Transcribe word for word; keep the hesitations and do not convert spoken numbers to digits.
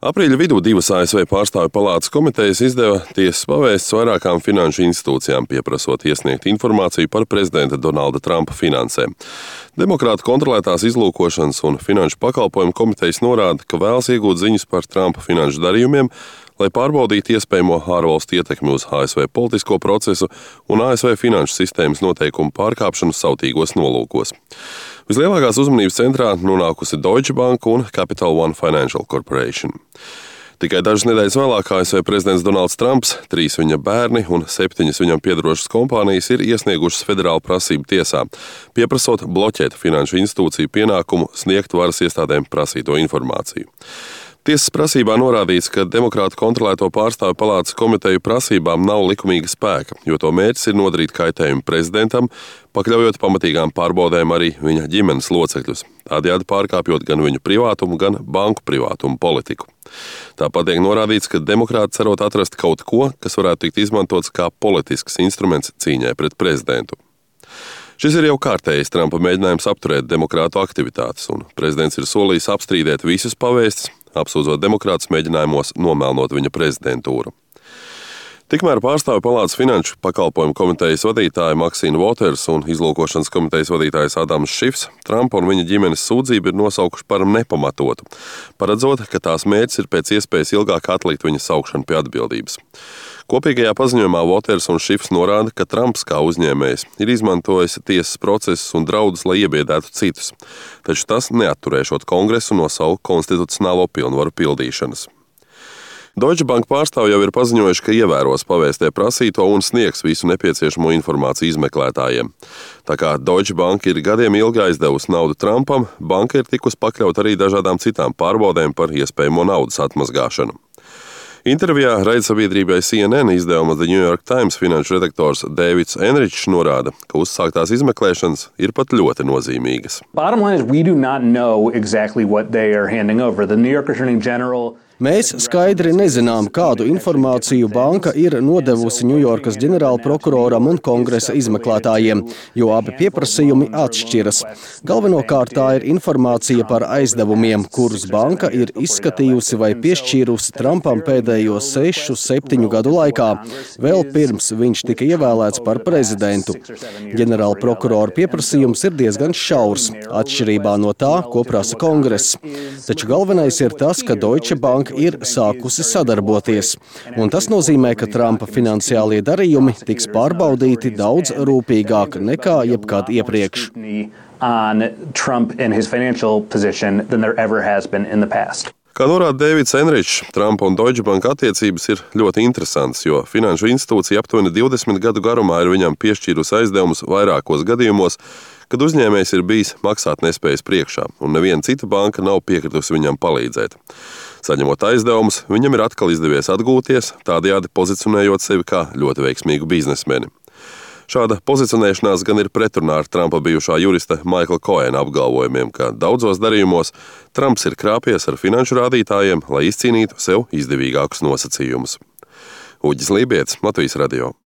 Aprīļa vidū divas A S V pārstāvju palātas komitejas izdeva tiesas pavēstis vairākām finanšu institūcijām, pieprasot iesniegt informāciju par prezidenta Donalda Trumpa finansēm. Demokrātu kontrolētās izlūkošanas un finanšu pakalpojumu komitejas norāda, ka vēlas iegūt ziņas par Trumpa finanšu darījumiem, lai pārbaudītu iespējamo ārvalstu ietekmi uz A S V politisko procesu un A S V finanšu sistēmas noteikumu pārkāpšanu sautīgos nolūkos. Vislielākās uzmanības centrā nonākusi Deutsche Bank un Capital One Financial Corporation. Tikai dažas nedēļas vēlāk A S V prezidents Donalds Trumps, trīs viņa bērni un septiņas viņam piedarošas kompānijas ir iesniegušas federālu prasību tiesā, pieprasot bloķēt finanšu institūciju pienākumu sniegt varas iestādēm prasīto informāciju. Tiesas prasībā norādīts, ka demokrātu kontrolēto pārstāvju palātas komiteju prasībām nav likumīga spēka, jo to mērķis ir nodarīt kaitējumu prezidentam, pakļaujot pamatīgām pārbaudēm arī viņa ģimenes locekļus, tādējādi pārkāpjot gan viņu privātumu, gan banku privātumu politiku. Tāpat tiek norādīts, ka demokrāti cerot atrast kaut ko, kas varētu tikt izmantots kā politisks instruments cīņai pret prezidentu. Šis ir jau kārtējs Trumpa mēģinājums apturēt demokrātu aktivitātes, un prezidents ir solījis apstrīdēt visus pavēstis, apsūdzot demokrātus mēģinājumos nomelnot viņa prezidentūru. Tikmēr pārstāvju palātas finanšu pakalpojumu komitejas vadītāja Maxine Waters un izlūkošanas komitejas vadītājs Adams Šifs Trumpa un viņa ģimenes sūdzību ir nosaukuši par nepamatotu, paredzot, ka tās mērķis ir pēc iespējas ilgāk atlikt viņa saukšanu pie atbildības. Kopīgajā paziņojumā Waters un Šifs norāda, ka Trumps kā uzņēmējs ir izmantojis tiesas procesus un draudus, lai iebiedētu citus, taču tas neatturēšot Kongresu no savu konstitucionālo pilnvaru pildīšanas. Deutsche Bank pārstāvji jau ir paziņojuši, ka ievēros pavēstē prasīto un sniegs visu nepieciešamo informāciju izmeklētājiem. Tā kā Deutsche Bank ir gadiem ilgi aizdevusi naudu Trumpam, banka ir tikusi pakļaut arī dažādām citām pārbaudēm par iespējamo naudas atmazgāšanu. Intervijā raidsabiedrībai C N N izdevuma The New York Times finanšu redaktors Dēvids Enričs norāda, ka uzsāktās izmeklēšanas ir pat ļoti nozīmīgas. Bottom line is we do not know exactly what they are handing over. The New York Attorney General Mēs skaidri nezinām, kādu informāciju banka ir nodevusi Ņujorkas ģenerālprokuroram un kongresa izmeklētājiem, jo abi pieprasījumi atšķiras. Galvenokārt tā ir informācija par aizdevumiem, kurus banka ir izskatījusi vai piešķīrusi Trumpam pēdējo sešu, septiņu gadu laikā, vēl pirms viņš tika ievēlēts par prezidentu. Ģenerālprokurora pieprasījums ir diezgan šaurs, atšķirībā no tā, ko prasa kongress. Taču galvenais ir tas, ka Deutsche Bank ir sākusi sadarboties. Un tas nozīmē, ka Trumpa finansiālie darījumi tiks pārbaudīti daudz rūpīgāk nekā jebkad iepriekš. Kā norāda Dēvids Enričs, Trumpa un Deutsche Bank attiecības ir ļoti interesantas, jo finanšu institūcija aptuveni divdesmit gadu garumā ir viņam piešķīrusi aizdevumus vairākos gadījumos, kad uzņēmējs ir bijis maksātnespējas priekšā, un neviena cita banka nav piekritusi viņam palīdzēt. Saņemot aizdevumus, viņam ir atkal izdevies atgūties, tādējādi pozicionējot sevi kā ļoti veiksmīgu biznesmeni. Šāda pozicionēšanās gan ir pretrunā ar Trumpa bijušā jurista Maikla Koena apgalvojumiem, ka daudzos darījumos Trumps ir krāpies ar finanšu rādītājiem, lai izcīnītu sev izdevīgākus nosacījumus. Uģis Lībietis, Latvijas radio.